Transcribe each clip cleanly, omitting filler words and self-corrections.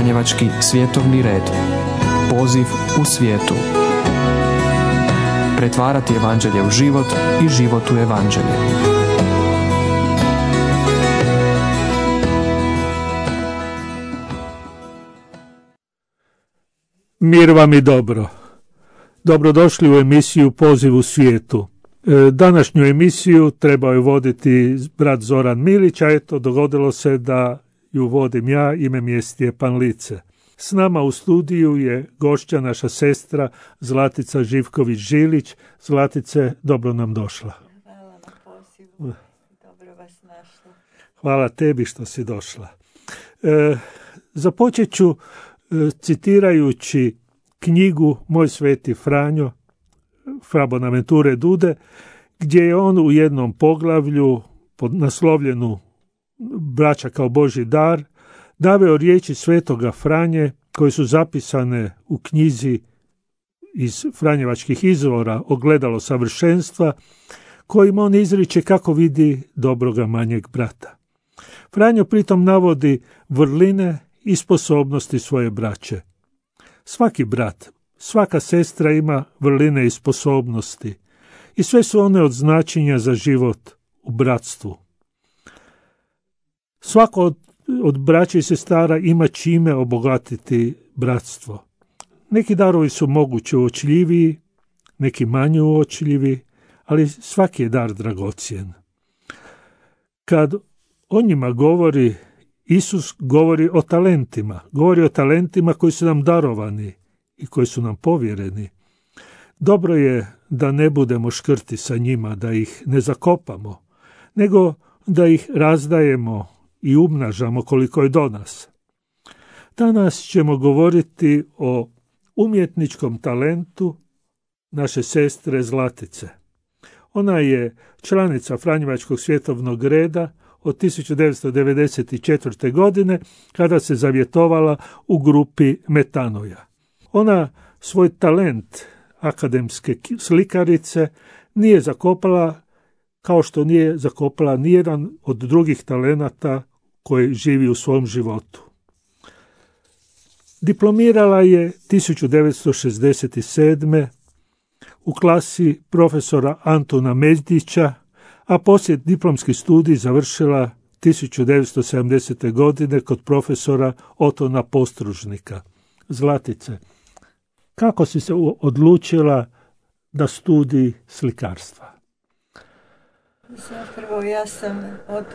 Franjevački svjetovni red. Poziv u svijetu. Pretvarati evanđelje u život i život u evanđelje. Mir vam i dobro. Dobrodošli u emisiju Poziv u svijetu. Današnju emisiju trebao je voditi brat Zoran Milić, a eto dogodilo se da ju vodim ja, ime mi je Stjepan Lice. S nama u studiju je gošća naša sestra Zlatica Živković-Žilić. Zlatice, dobro nam došla. Hvala na pozivu, dobro vas našla. Hvala tebi što si došla. Započet ću citirajući knjigu Moj sveti Franjo, Fra Bonaventure Dude, gdje je on u jednom poglavlju pod naslovljenu Braća kao Božji dar naveo riječi svetoga Franje koje su zapisane u knjizi iz Franjevačkih izvora Ogledalo savršenstva, kojim on izriče kako vidi dobroga manjeg brata. Franjo pritom navodi vrline i sposobnosti svoje braće. Svaki brat, svaka sestra ima vrline i sposobnosti i sve su one od značenja za život u bratstvu. Svako od braća i sestara ima čime obogatiti bratstvo. Neki darovi su moguće uočljiviji, neki manje uočljivi, ali svaki je dar dragocjen. Kad o njima govori Isus, govori o talentima koji su nam darovani i koji su nam povjereni. Dobro je da ne budemo škrti sa njima, da ih ne zakopamo, nego da ih razdajemo i umnažamo koliko je do nas. Danas ćemo govoriti o umjetničkom talentu naše sestre Zlatice. Ona je članica Franjevačkog svjetovnog reda od 1994. godine, kada se zavjetovala u grupi Metanoja. Ona svoj talent akademske slikarice nije zakopala kao što nije zakopala nijedan od drugih talenata koji živi u svom životu. Diplomirala je 1967. u klasi profesora Antuna Međdića, a poslije diplomski studij završila 1970. godine kod profesora Otona Postružnika. Zlatice, kako si se odlučila da studij slikarstva? Zapravo ja sam od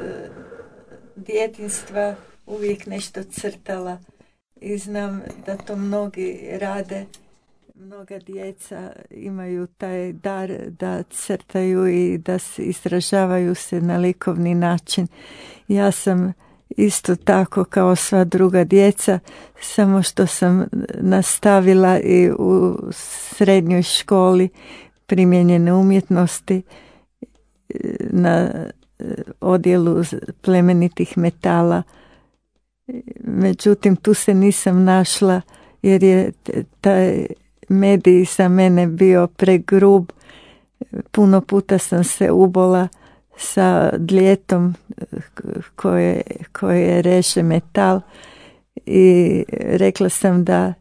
djetinjstva uvijek nešto crtala i znam da to mnogi rade. Mnoga djeca imaju taj dar da crtaju i da se izražavaju se na likovni način. Ja sam isto tako kao sva druga djeca, samo što sam nastavila i u srednjoj školi primijenjene umjetnosti na odjelu plemenitih metala. Međutim, tu se nisam našla jer je taj medij za mene bio pregrub. Puno puta sam se ubola sa dljetom koje reže metal i rekla sam da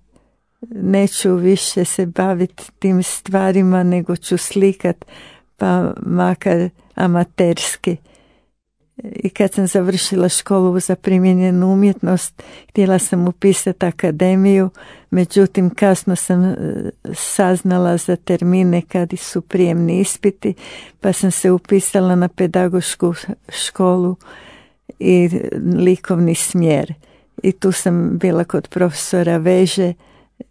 neću više se baviti tim stvarima, nego ću slikat, pa makar amaterski. I kad sam završila školu za primijenjenu umjetnost, htjela sam upisati akademiju, međutim kasno sam saznala za termine kad su prijemni ispiti, pa sam se upisala na pedagošku školu i likovni smjer. I tu sam bila kod profesora Veže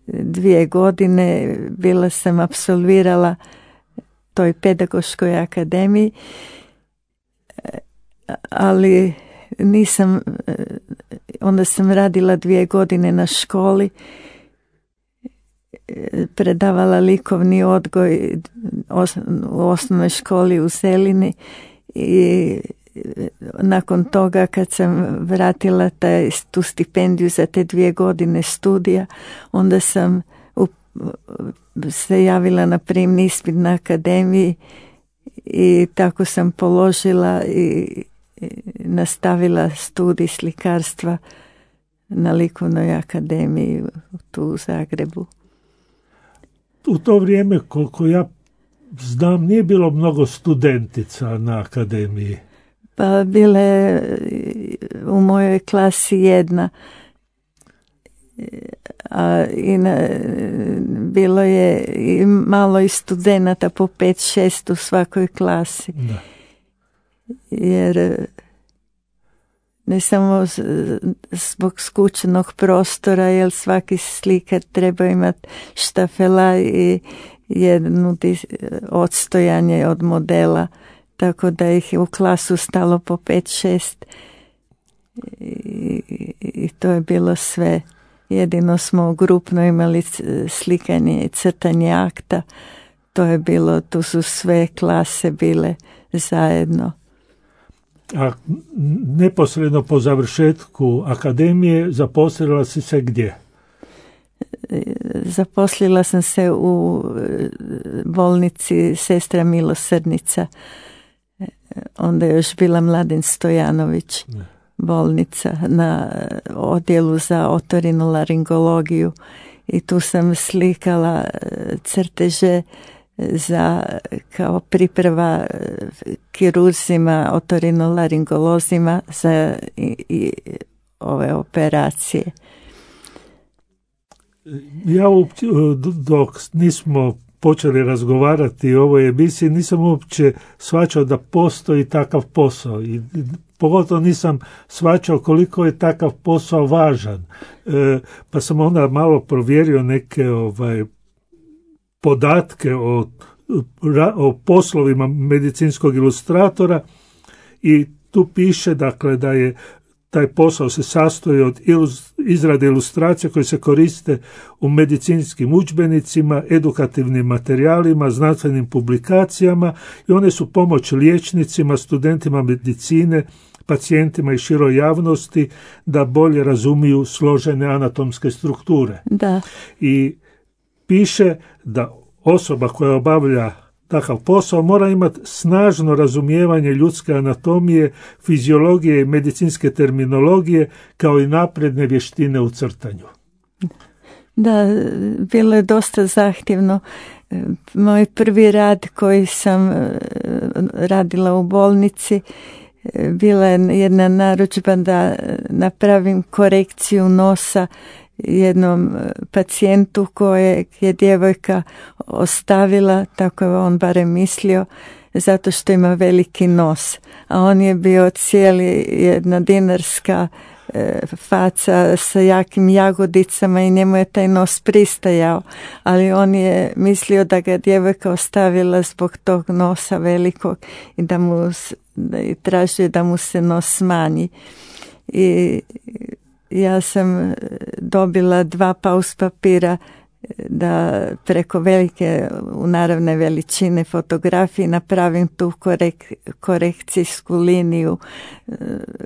2 godine, bila sam apsolvirala toj pedagoškoj akademiji, ali nisam, onda sam radila 2 godine na školi, predavala likovni odgoj u osnovnoj školi u Zelini i nakon toga kad sam vratila tu stipendiju za te 2 godine studija, onda sam se javila na prijemni ispit na akademiji i tako sam položila i nastavila studij slikarstva na Likovnoj akademiji tu u Zagrebu. U to vrijeme, koliko ja znam, nije bilo mnogo studentica na akademiji. Pa bile u mojoj klasi jedna. Bilo je i malo i studenata, po 5-6 u svakoj klasi. Da. Jer ne samo zbog skučenog prostora, jer svaki slikar treba imati štafela i jednu odstojanje od modela, tako da ih je u klasu stalo po 5-6 i to je bilo sve. Jedino smo grupno imali slikanje i crtanje akta. To je bilo, tu su sve klase bile zajedno. A neposredno po završetku akademije zaposlila si se gdje? Zaposlila sam se u bolnici Sestra milosrdnica. Onda je još bila Mladen Stojanović. Bolnica na odjelu za otorinolaringologiju i tu sam slikala crteže za kao priprava kirurzima, otorinolaringolozima za i ove operacije. Ja dok nismo počeli razgovarati o ovoj emisiji, nisam uopće shvaćao da postoji takav posao i pogotovo nisam shvaćao koliko je takav posao važan. Pa sam onda malo provjerio neke podatke o poslovima medicinskog ilustratora i tu piše dakle da je taj posao se sastoji od izrade ilustracija koje se koriste u medicinskim udžbenicima, edukativnim materijalima, znanstvenim publikacijama i one su pomoć liječnicima, studentima medicine, pacijentima i široj javnosti da bolje razumiju složene anatomske strukture. Da. I piše da osoba koja obavlja takav posao mora imati snažno razumijevanje ljudske anatomije, fiziologije i medicinske terminologije, kao i napredne vještine u crtanju. Da, bilo je dosta zahtjevno. Moj prvi rad koji sam radila u bolnici, bila je jedna narudžba da napravim korekciju nosa jednom pacijentu kojeg je djevojka ostavila, tako je on barem mislio, zato što ima veliki nos. A on je bio cijeli jedna dinarska faca sa jakim jagodicama i njemu je taj nos pristajao, ali on je mislio da ga djevojka ostavila zbog tog nosa velikog i da tražio da mu se nos smanji. I ja sam dobila 2 paus papira da preko velike naravne veličine fotografije napravim tu korekcijsku liniju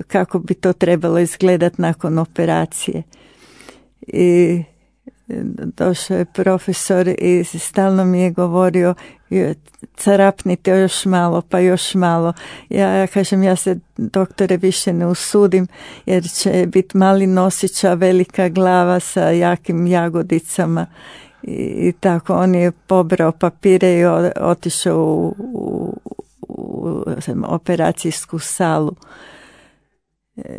kako bi to trebalo izgledati nakon operacije. I došao je profesor i stalno mi je govorio carapnite još malo, pa još malo. Ja kažem, ja se doktore više ne usudim jer će biti mali nosić, a velika glava sa jakim jagodicama. I tako on je pobrao papire i otišao u operacijsku salu.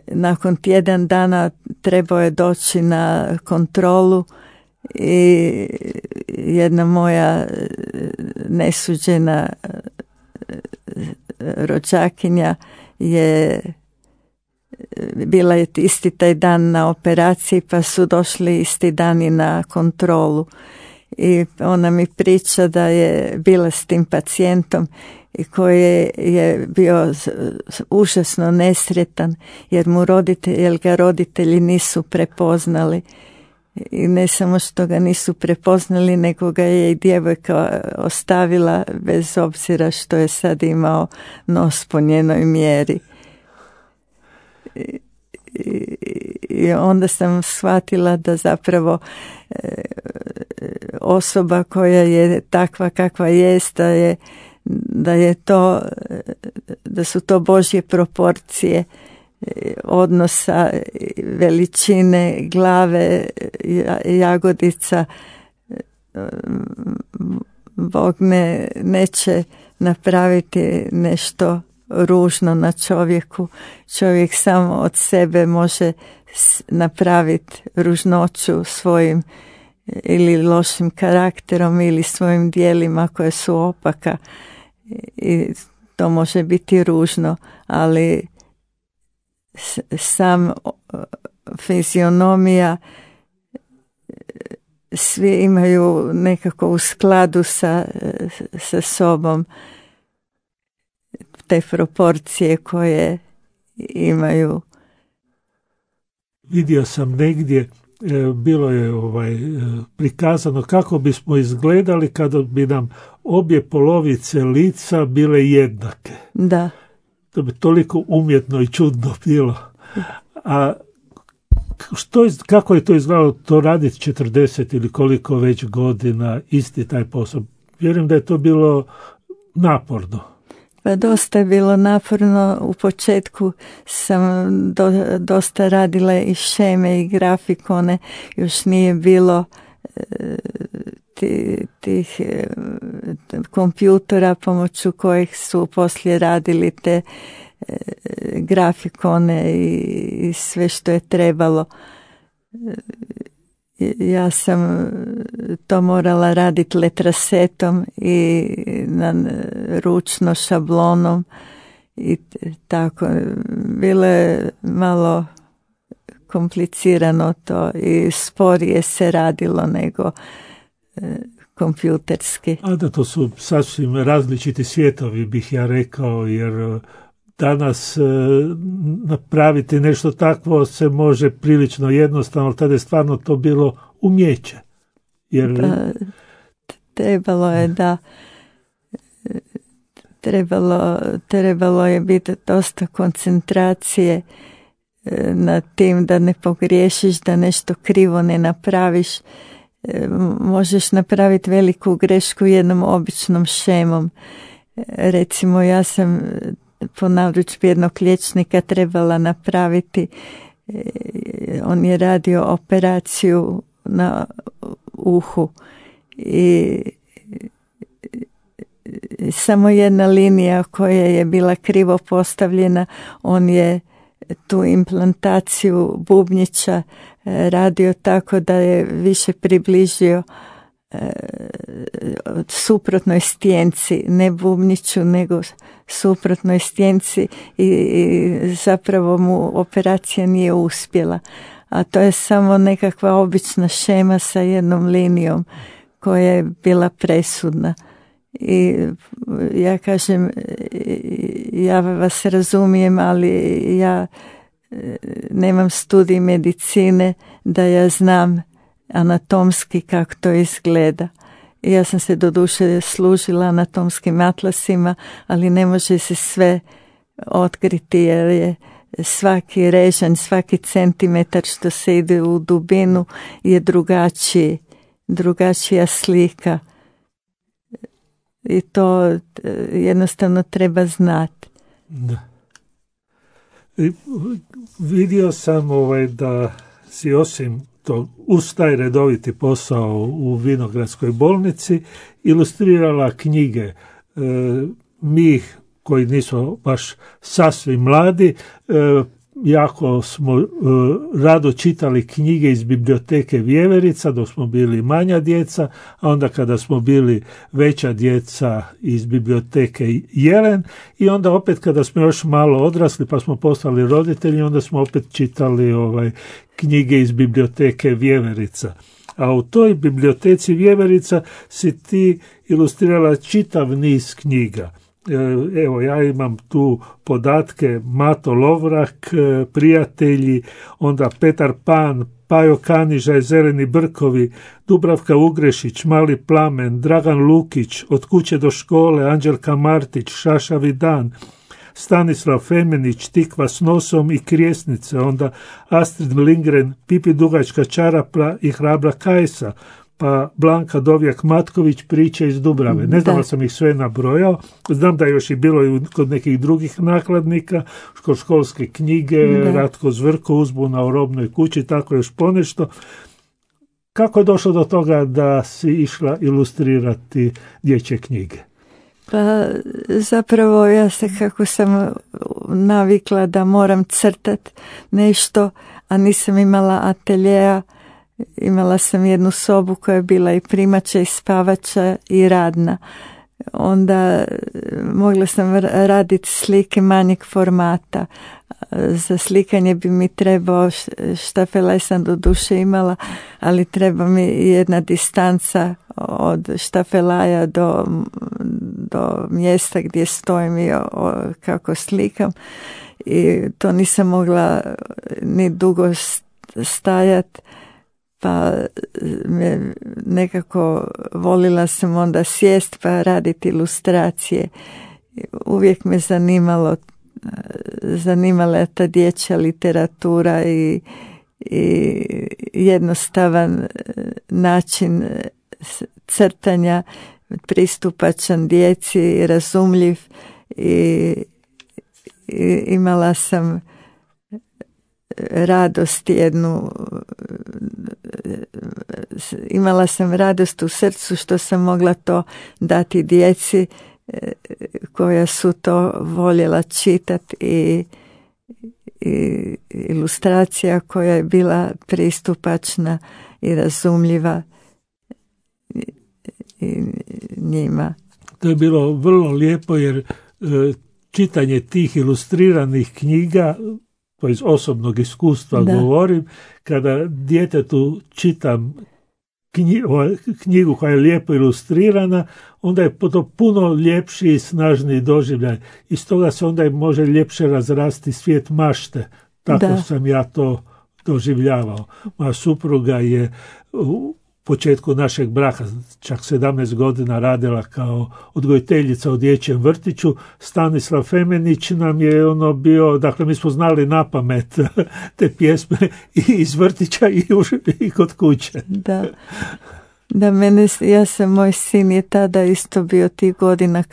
Nakon tjedan dana trebao je doći na kontrolu i jedna moja nesuđena rođakinja je bila je isti taj dan na operaciji, pa su došli isti dan i na kontrolu. I ona mi priča da je bila s tim pacijentom i koji je bio užasno nesretan jer ga roditelji nisu prepoznali. I ne samo što ga nisu prepoznali, nego ga je i djevojka ostavila bez obzira što je sad imao nos po njenoj mjeri. I onda sam shvatila da zapravo osoba koja je takva kakva jest, da su to Božje proporcije, odnosa, veličine glave jagodica. Bog neće napraviti nešto ružno na čovjeku. Čovjek samo od sebe može napraviti ružnoću svojim ili lošim karakterom ili svojim dijelima koje su opaka, i to može biti ružno, ali sam fizionomija, svi imaju nekako u skladu sa sobom te proporcije koje imaju. Vidio sam negdje, bilo je prikazano kako bismo izgledali kada bi nam obje polovice lica bile jednake. Da. To bi toliko umjetno i čudno bilo. A kako je to izgledalo, to raditi 40 ili koliko već godina, isti taj posao? Vjerujem da je to bilo naporno. Pa dosta je bilo naporno. U početku sam dosta radila i šeme i grafikone. Još nije bilo tih kompjutora pomoću kojih su poslije radili te grafikone i sve što je trebalo. Ja sam to morala raditi letrasetom i ručno šablonom i tako. Bilo je malo komplicirano to i sporije se radilo nego kompjuterski. A da, to su sasvim različiti svijetovi, bih ja rekao, jer danas napraviti nešto takvo se može prilično jednostavno, tada je stvarno to bilo umijeće. Jer... trebalo je da trebalo je biti dosta koncentracije na tim da ne pogriješiš, da nešto krivo ne napraviš. Možeš napraviti veliku grešku jednom običnom šemom. Recimo, ja sam po narudžbi jednog liječnika trebala napraviti, on je radio operaciju na uhu i samo jedna linija koja je bila krivo postavljena, on je tu implantaciju bubnjića radio tako da je više približio suprotnoj stjenci, ne bubnjiću nego suprotnoj stjenci i zapravo mu operacija nije uspjela. A to je samo nekakva obična šema sa jednom linijom koja je bila presudna. I ja kažem, ja vas razumijem, ali ja nemam studij medicine da ja znam anatomski kako to izgleda. Ja sam se doduše služila anatomskim atlasima, ali ne može se sve otkriti jer je svaki režanj, svaki centimetar što se ide u dubinu je drugačija slika. I to jednostavno treba znati. Da. Vidio sam da si osim to uz taj redoviti posao u Vinogradskoj bolnici ilustrirala knjige. Mi koji nisu baš sasvim mladi, jako smo rado čitali knjige iz biblioteke Vjeverica dok smo bili manja djeca, a onda kada smo bili veća djeca iz biblioteke Jelen, i onda opet kada smo još malo odrasli pa smo postali roditelji, onda smo opet čitali knjige iz biblioteke Vjeverica. A u toj biblioteci Vjeverica si ti ilustrirala čitav niz knjiga. Evo, ja imam tu podatke: Mato Lovrak, Prijatelji, onda Petar Pan, Pajo Kanižaj, Zeleni brkovi, Dubravka Ugrešić, Mali plamen, Dragan Lukić, Od kuće do škole, Anđelka Martić, Šašavi dan, Stanislav Femenić, Tikva s nosom i Krijesnice, onda Astrid Lindgren, Pipi dugačka čarapa i Hrabra Kajsa, pa Blanka Dovjak-Matković, Priče iz Dubrave. Ne znam da sam ih sve nabrojao. Znam da je još i bilo i kod nekih drugih nakladnika, školske knjige, Ratko Zvrko, Uzbuna u robnoj kući, tako još ponešto. Kako je došlo do toga da si išla ilustrirati dječje knjige? Pa zapravo ja se, kako sam navikla da moram crtat nešto, a nisam imala ateljeja, imala sam jednu sobu koja je bila i primača i spavača i radna. Onda mogla sam raditi slike manjeg formata. Za slikanje bi mi trebao štafelaj, sam do duše imala, ali treba mi jedna distanca od štafelaja do mjesta gdje stojim i kako slikam. I to nisam mogla ni dugo stajati, pa nekako volila sam onda sjest pa raditi ilustracije. Uvijek me zanimala je ta dječja literatura i jednostavan način crtanja, pristupačan djeci, razumljiv, i imala sam radost imala sam radost u srcu što sam mogla to dati djeci koja su to voljela čitati i ilustracija koja je bila pristupačna i razumljiva i njima. To je bilo vrlo lijepo jer čitanje tih ilustriranih knjiga, to iz osobnog iskustva govorim, kada djetetu čitam knjigu koja je lijepo ilustrirana, onda je to puno ljepši i snažniji doživljaj. I stoga se onda može ljepše razrasti svijet mašte. Tako sam ja to doživljavao. Moja supruga je u početku našeg braka, čak 17 godina radila kao odgojiteljica u dječjem vrtiću. Stanislav Femenić nam je bio, dakle mi smo znali napamet te pjesme i iz vrtića i kod kuće. Da, moj sin je tada isto bio tih godina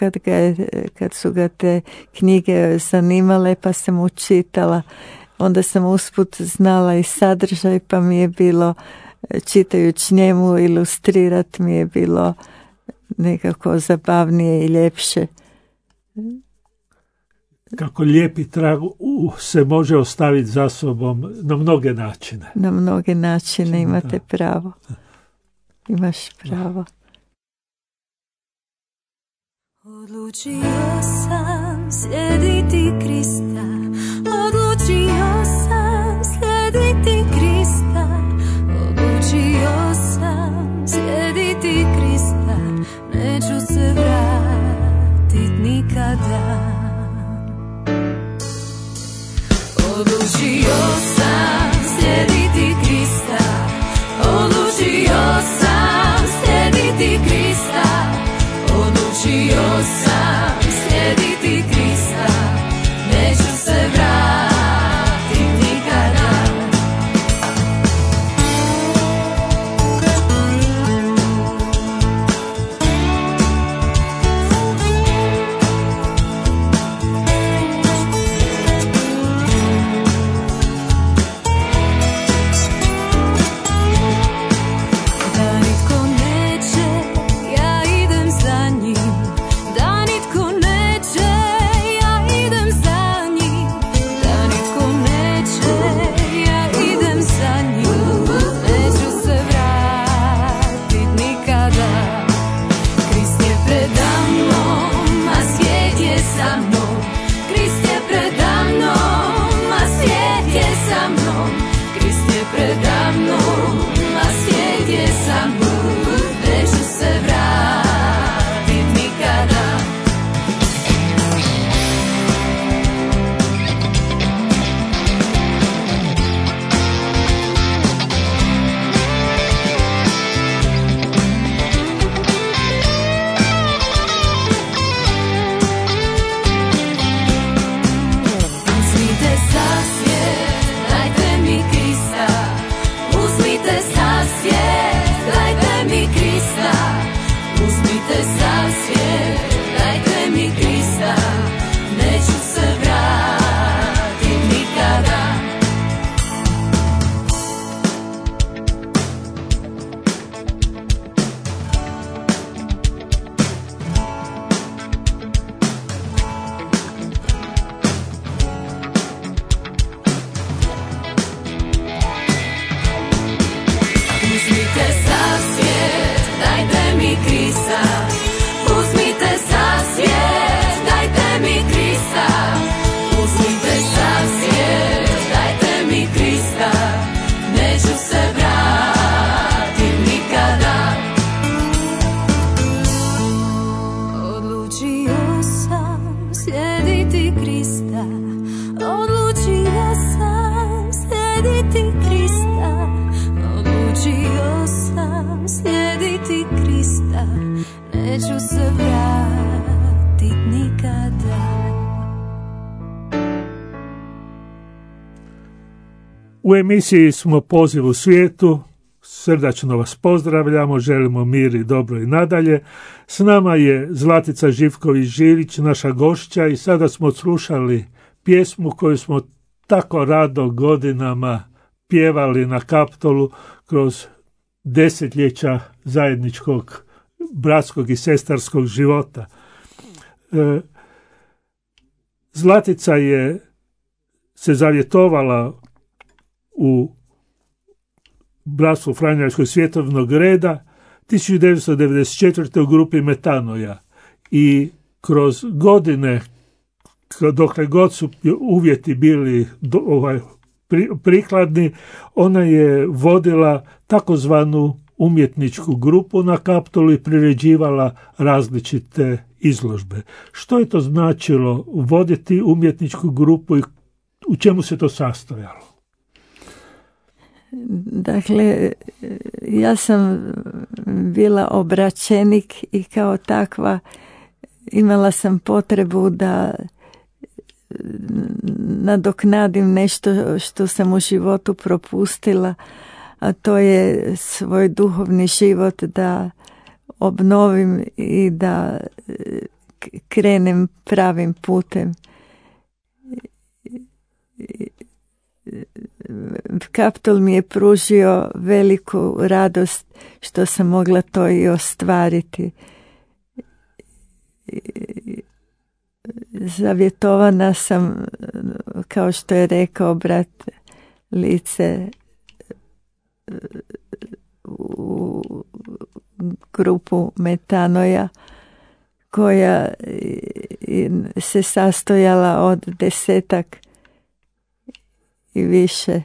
kad su ga te knjige zanimale, pa sam mu čitala. Onda sam usput znala i sadržaj, pa mi je bilo, čitajući njemu, ilustrirati mi je bilo nekako zabavnije i ljepše. Kako lijepi trag se može ostaviti za sobom na mnoge načine. Na mnoge načine imate pravo. Imaš pravo. Odlučio sam slijediti Krista, odlučio sam slijediti Krista, odlučio sam slijediti Krista, neću se vratit nikada. Odlučio sam slijediti Krista, odlučio sam slijediti Krista, odlučio sam slijediti Krista, neću se vratit nikada. neću se vratit nikada. U emisiji smo Poziv u svijetu. Srdačno vas pozdravljamo, želimo mir i dobro i nadalje. S nama je Zlatica Živković-Žirić, naša gošća, i sada smo slušali pjesmu koju smo tako rado godinama pjevali na Kaptolu kroz desetljeća zajedničkog bratskog i sestarskog života. Zlatica je se zavjetovala u Bratstvu Franjevačkog svjetovnog reda 1994. u grupi Metanoja, i kroz godine, dokle god su uvjeti bili prikladni, ona je vodila takozvanu umjetničku grupu na Kaptolu i priređivala različite izložbe. Što je to značilo voditi umjetničku grupu i u čemu se to sastojalo? Dakle, ja sam bila obraćenik i kao takva imala sam potrebu da nadoknadim nešto što sam u životu propustila, a to je svoj duhovni život da obnovim i da krenem pravim putem. Kaptol mi je pružio veliku radost što sam mogla to i ostvariti. Zavjetovana sam, kao što je rekao brat Lice, u grupu Metanoja, koja se sastojala od 10 i više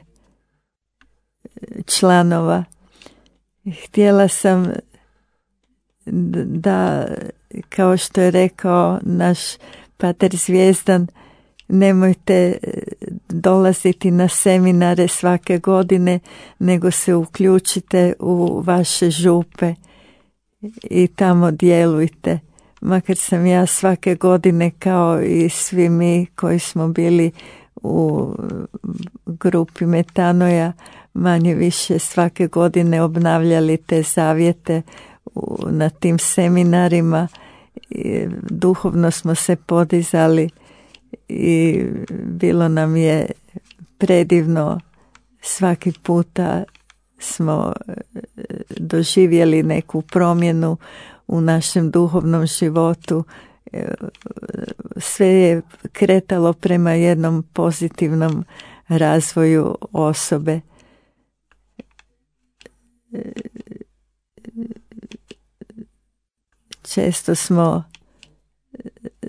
članova. Htjela sam da, kao što je rekao naš pater Zvijezdan, nemojte dolaziti na seminare svake godine, nego se uključite u vaše župe i tamo djelujte. Makar sam ja svake godine, kao i svi mi koji smo bili u grupi Metanoja, manje više svake godine obnavljali te zavjete na tim seminarima. Duhovno smo se podizali i bilo nam je predivno. Svaki puta smo doživjeli neku promjenu u našem duhovnom životu. Sve je kretalo prema jednom pozitivnom razvoju osobe. Često smo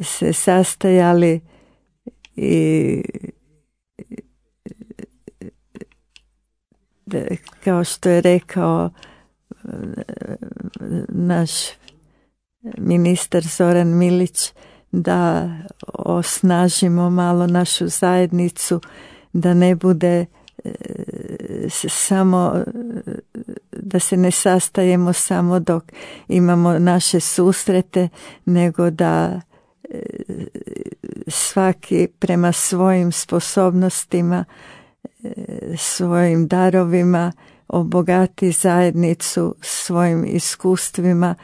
se sastajali i kao što je rekao naš ministar Zoran Milić, da osnažimo malo našu zajednicu, da ne bude samo, da se ne sastajemo samo dok imamo naše susrete, nego da svaki prema svojim sposobnostima, svojim darovima obogati zajednicu svojim iskustvima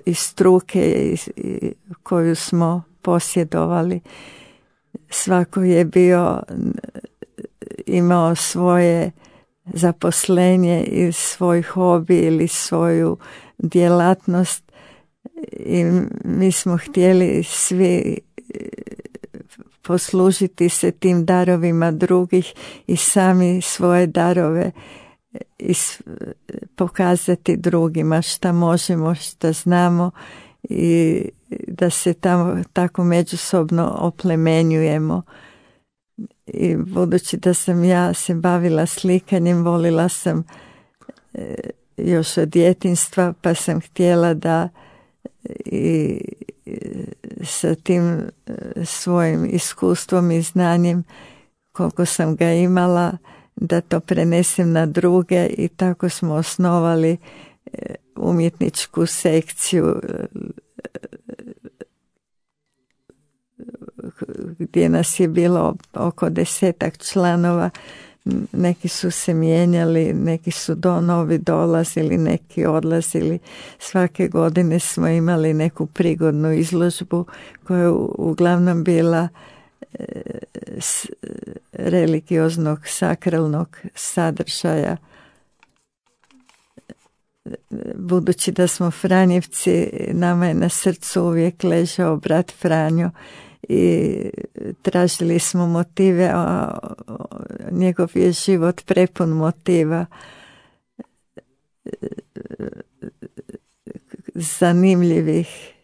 iz struke koju smo posjedovali. Svako je imao svoje zaposlenje i svoj hobi ili svoju djelatnost, i mi smo htjeli svi poslužiti se tim darovima drugih i sami svoje darove pokazati drugima šta možemo, šta znamo, i da se tako međusobno oplemenjujemo. I budući da sam ja se bavila slikanjem, volila sam još od djetinjstva, pa sam htjela da i sa tim svojim iskustvom i znanjem koliko sam ga imala, da to prenesem na druge, i tako smo osnovali umjetničku sekciju gdje nas je bilo oko 10 članova. Neki su se mijenjali, neki su novi dolazili, neki odlazili. Svake godine smo imali neku prigodnu izložbu koja je uglavnom bila religioznog, sakralnog sadržaja. Budući da smo Franjevci, nama je na srcu uvijek ležao brat Franjo i tražili smo motive, a njegov je život prepun motiva, zanimljivih,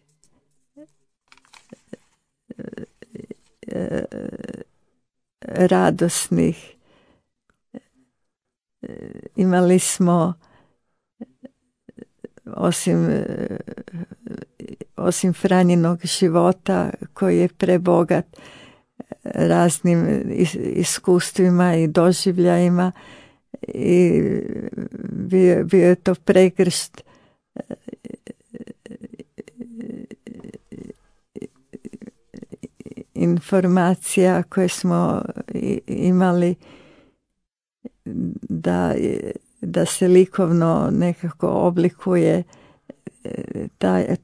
radosnih. Imali smo osim Franjinog života koji je prebogat raznim iskustvima i doživljajima, i bio je to pregršt informacija koje smo imali da se likovno nekako oblikuje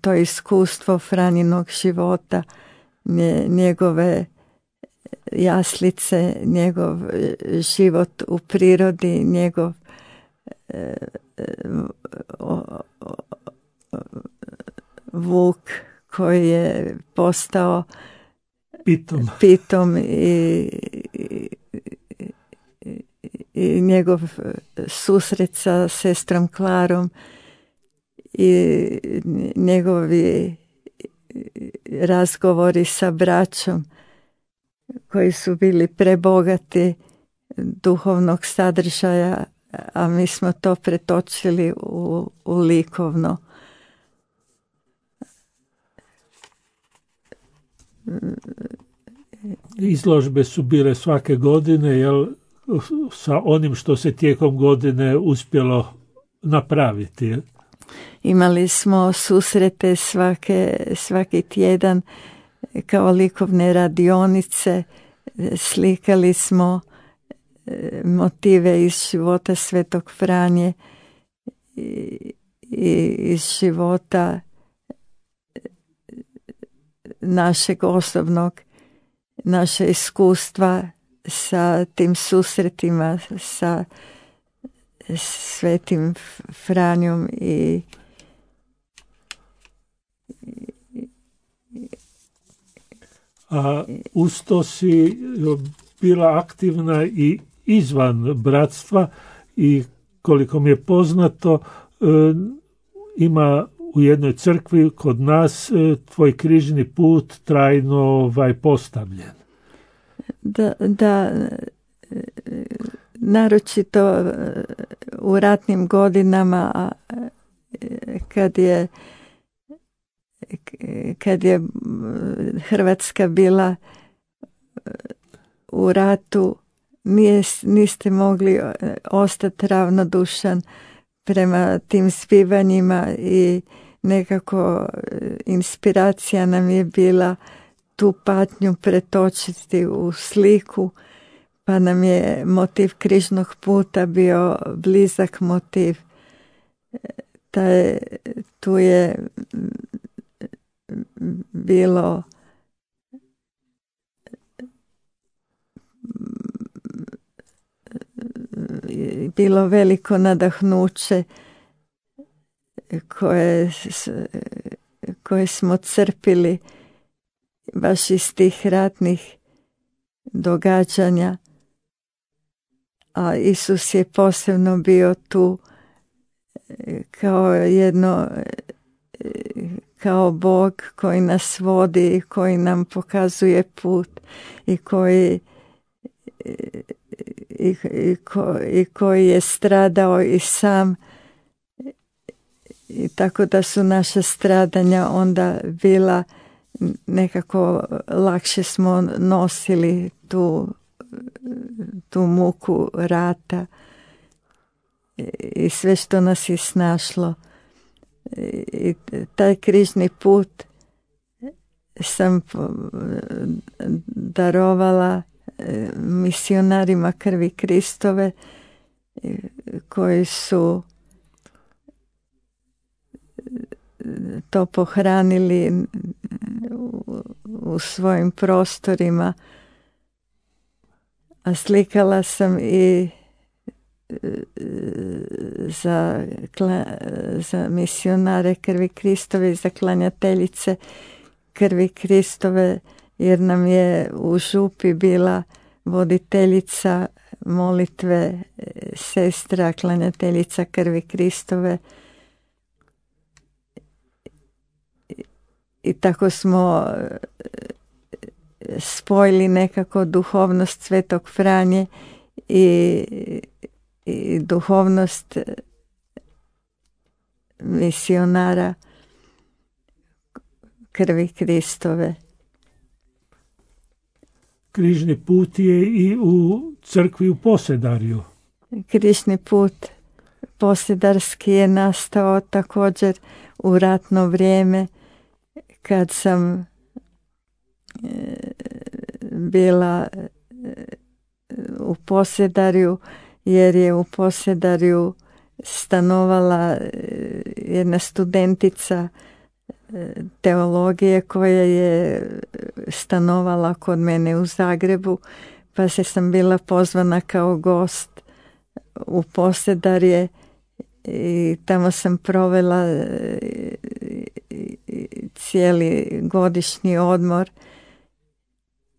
to iskustvo Franjinog života, njegove jaslice, njegov život u prirodi, njegov vuk koji je postao pitom i njegov susret sa sestrom Klarom i njegovi razgovori sa braćom koji su bili prebogati duhovnog sadržaja, a mi smo to pretočili u likovno. Izložbe su bile svake godine, jel, sa onim što se tijekom godine uspjelo napraviti. Jel? Imali smo susrete svaki tjedan kao likovne radionice, slikali smo motive iz života Svetog Franje i iz života našeg osobnog, naše iskustva sa tim susretima sa Svetim Franjom a uz to si bila aktivna i izvan bratstva i koliko mi je poznato ima u jednoj crkvi kod nas tvoj križni put trajno postavljen. Da, naročito u ratnim godinama kad je Hrvatska bila u ratu, niste mogli ostati ravnodušan prema tim zbivanjima i nekako inspiracija nam je bila tu patnju pretočiti u sliku, pa nam je motiv križnog puta bio blizak motiv. Tu je bilo veliko nadahnuće koje smo crpili baš iz tih ratnih događanja, a Isus je posebno bio tu kao Bog koji nas vodi, koji nam pokazuje put i koji je stradao i sam, i tako da su naša stradanja onda bila nekako lakše smo nosili tu muku rata i sve što nas je snašlo. I taj križni put sam darovala misionarima krvi Kristove koji su to pohranili u svojim prostorima, a slikala sam i za misionare krvi Kristove i za klanjateljice krvi Kristove, jer nam je u župi bila voditeljica molitve sestra klanjateljica krvi Kristove. I tako smo spojili nekako duhovnost Svetog Franje i duhovnost misionara krvi Kristove. Križni put je i u crkvi u Posedarju. Križni put posedarski je nastao također u ratno vrijeme, kad sam bila u Posedarju, jer je u Posedarju stanovala jedna studentica teologije koja je stanovala kod mene u Zagrebu, pa sam bila pozvana kao gost u Posedarje i tamo sam provela cijeli godišnji odmor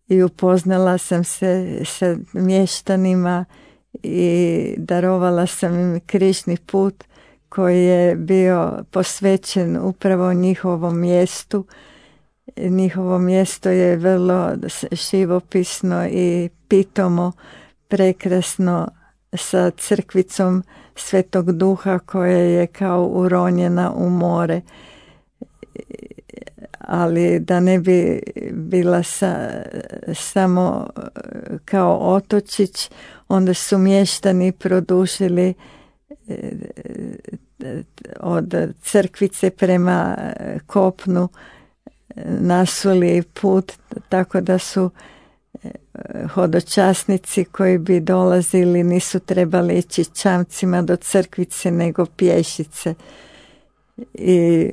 i upoznala sam se sa mještanima i darovala sam im križni put koji je bio posvećen upravo njihovom mjestu. Njihovo mjesto je vrlo živopisno i pitomo, prekrasno, sa crkvicom Svetog Duha koja je kao uronjena u more. Ali da ne bi bila samo kao otočić, onda su mještani produžili od crkvice prema kopnu, nasuli put, tako da su hodočasnici koji bi dolazili nisu trebali ići čamcima do crkvice nego pješice. I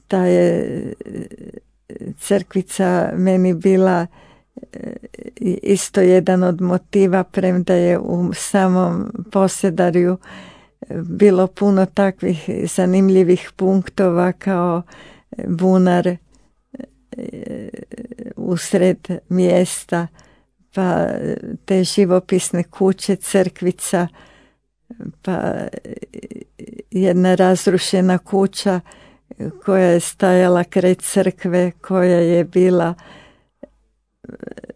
ta je crkvica meni bila isto jedan od motiva, premda je u samom Posedarju bilo puno takvih zanimljivih punktova kao bunar usred mjesta, pa te živopisne kuće, crkvica, pa jedna razrušena kuća koja je stajala kraj crkve, koja je bila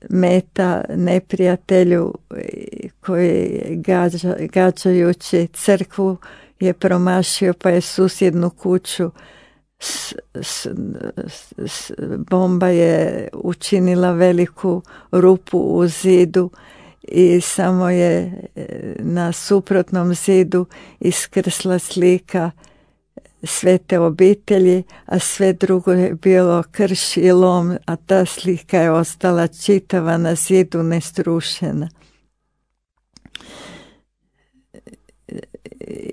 meta neprijatelju koji gađajući crkvu je promašio, pa je susjednu kuću bomba je učinila veliku rupu u zidu i samo je na suprotnom zidu iskrsla slika Svete obitelji, a sve drugo je bilo krš i lom, a ta slika je ostala čitava na zidu, nestrušena.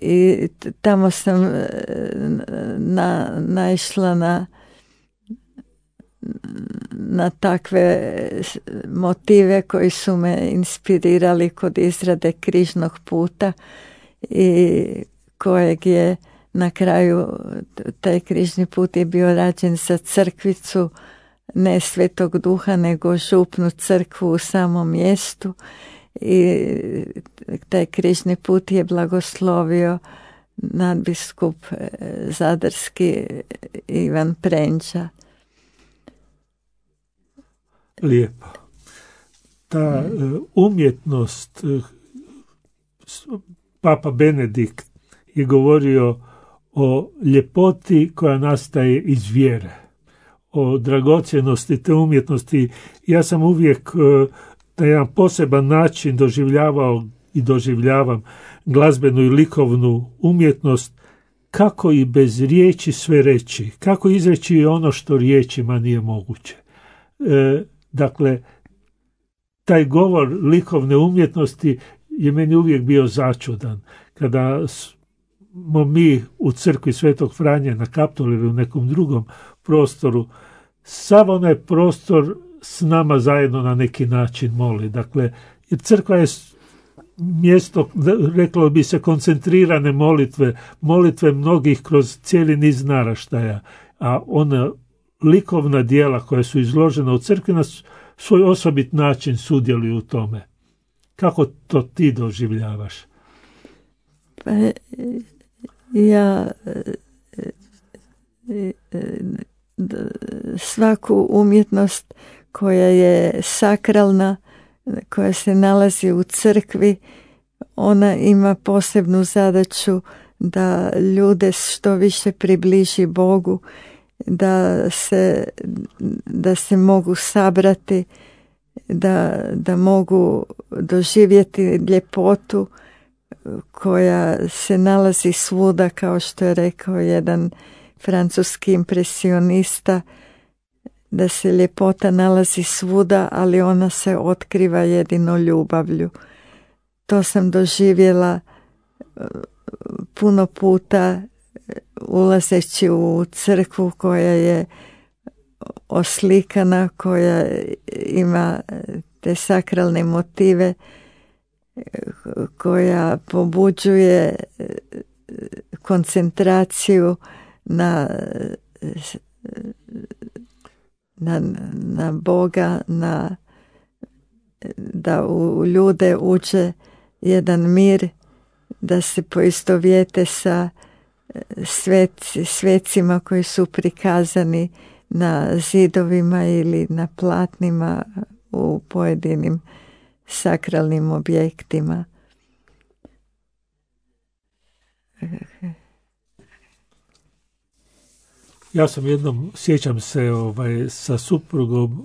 I tamo sam naišla na takve motive koji su me inspirirali kod izrade križnog puta i kojeg je na kraju, taj križni put je bio rađen za crkvicu, ne Svetog Duha, nego župnu crkvu u samom mjestu, i taj križni put je blagoslovio nadbiskup zadarski Ivan Prenđa. Lijepo. Ta umjetnost, Papa Benedikt je govorio o ljepoti koja nastaje iz vjere, o dragocjenosti te umjetnosti. Ja sam uvijek na jedan poseban način doživljavao i doživljavam glazbenu i likovnu umjetnost kako i bez riječi sve reći, kako izreći ono što riječima nije moguće. Dakle, taj govor likovne umjetnosti je meni uvijek bio začudan. Kada smo mi u crkvi Svetog Franje na Kaptolu ili u nekom drugom prostoru, sav onaj prostor s nama zajedno na neki način moli. Dakle, jer crkva je mjesto, reklo bi se, koncentrirane molitve mnogih kroz cijeli niz naraštaja, a ona likovna djela koja su izložena u crkvi na svoj osobit način sudjeluju u tome. Kako to ti doživljavaš? Pa, ja svaku umjetnost koja je sakralna, koja se nalazi u crkvi, ona ima posebnu zadaću da ljude što više približi Bogu, da se mogu sabrati, da mogu doživjeti ljepotu koja se nalazi svuda, kao što je rekao jedan francuski impresionista, da se ljepota nalazi svuda, ali ona se otkriva jedino ljubavlju. To sam doživjela puno puta ulazeći u crkvu koja je oslikana, koja ima te sakralne motive, koja pobuđuje koncentraciju na Boga, da u ljude uđe jedan mir, da se poistovjete sa svecima koji su prikazani na zidovima ili na platnima u pojedinim sakralnim objektima. Ja sam jednom, sjećam se, sa suprugom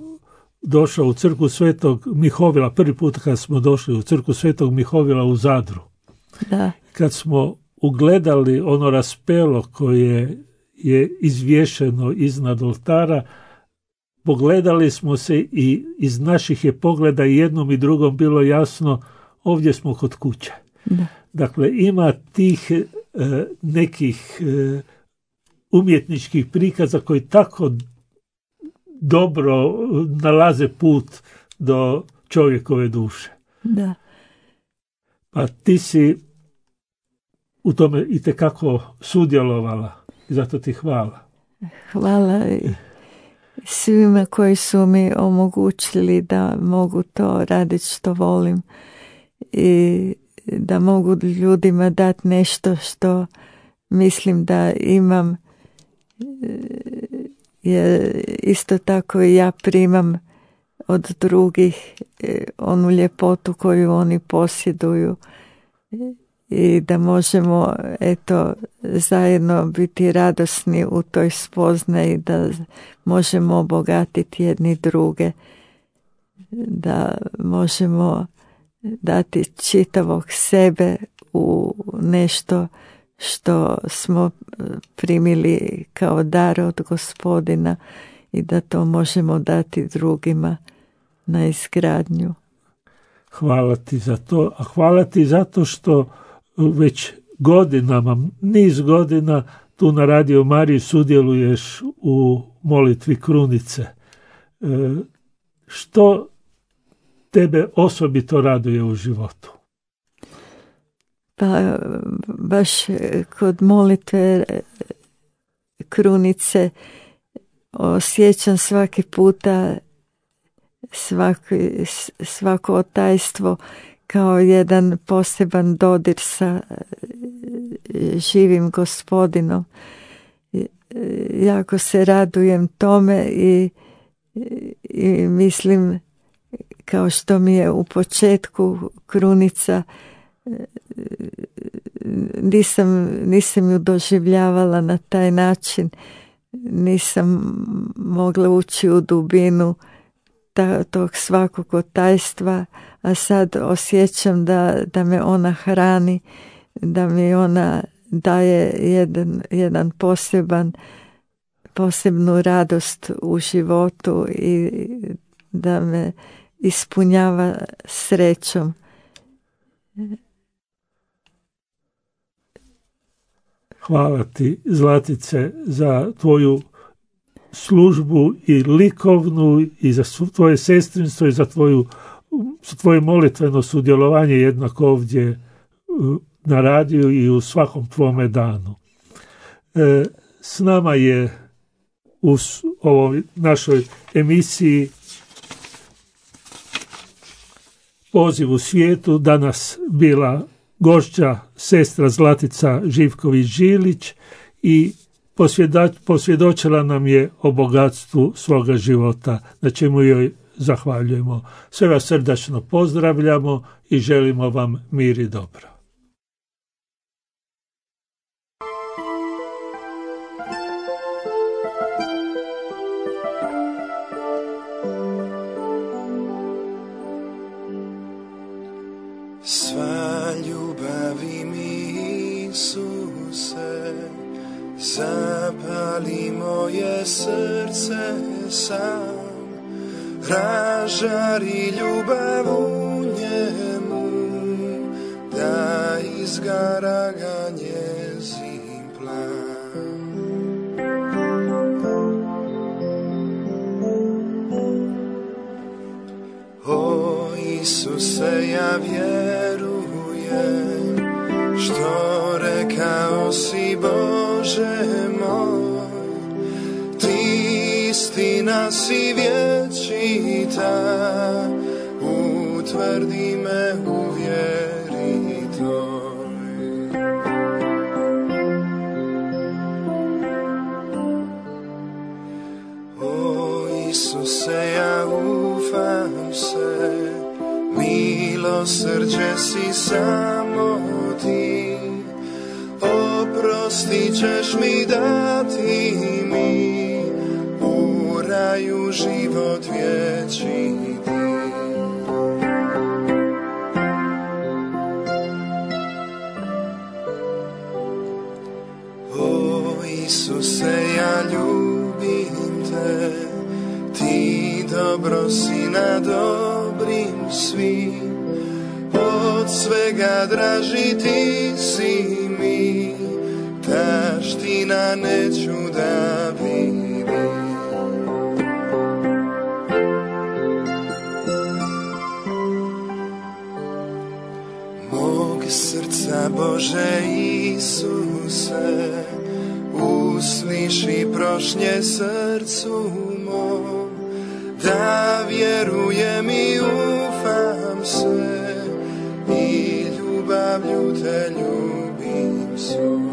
došao u crkvu Svetog Mihovila, prvi put kad smo došli u crkvu Svetog Mihovila u Zadru. Da. Kad smo ugledali ono raspelo koje je izvješeno iznad oltara, pogledali smo se i iz naših je pogleda i jednom i drugom bilo jasno, ovdje smo kod kuće. Da. Dakle, ima tih nekih umjetničkih prikaza koji tako dobro nalaze put do čovjekove duše. Da. Pa ti si u tome itekako sudjelovala i zato ti hvala. Hvala svima koji su mi omogućili da mogu to raditi što volim i da mogu ljudima dati nešto što mislim da imam, jer isto tako i ja primam od drugih onu ljepotu koju oni posjeduju i da možemo zajedno biti radosni u toj spoznaji, da možemo obogatiti jedni druge, da možemo dati čitavog sebe u nešto što smo primili kao dar od Gospodina i da to možemo dati drugima na izgradnju. Hvala ti za to, a hvala ti zato što već godinama, niz godina tu na Radio Mariji sudjeluješ u molitvi krunice. Što tebe osobito raduje u životu? Pa baš kod molitve krunice osjećam svaki puta svako otajstvo kao jedan poseban dodir sa živim Gospodinom. Jako se radujem tome i mislim, kao što mi je u početku krunica, nisam ju doživljavala na taj način, nisam mogla ući u dubinu tog svakog otajstva, a sad osjećam da me ona hrani, da mi ona daje jedan posebnu radost u životu i da me ispunjava srećom. Hvala ti, Zlatice, za tvoju službu i likovnu i za tvoje sestrinstvo i za tvoje molitveno sudjelovanje jednako ovdje na radiju i u svakom tvome danu. S nama je u ovoj našoj emisiji Poziv u svijetu danas bila gošća sestra Zlatica Živković-Žilić i posvjedočila nam je o bogatstvu svoga života, na čemu joj zahvaljujemo. Sve vas srdačno pozdravljamo i želimo vam mir i dobro. Sva ljubavi mi, Isuse, zapali moje srce sam, ražari ljubav u njemu, da izgara ga njezin plan. O Isuse, ja vjerujem, što rekao si, Bože moj, ti istina si vječita, utvrdi me u vjeri toj. O Isuse, ja ufam se, milosrđe si samo ti, oprostit ćeš mi, dati mi u raju život vječiti. O Isuse, ja ljubim te, ti dobro si na dobrim svim, od svega draži ti si mi, taština neću da vidim. Mog srca, Bože Isuse, usliši prošnje srcu mom, da vjerujem i ufam se, i ljubavlju te ljubim svom.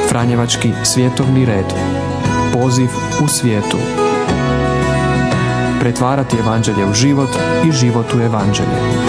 Franjevački svjetovni red. Poziv u svijetu. Pretvarati evanđelje u život i život u evanđelje.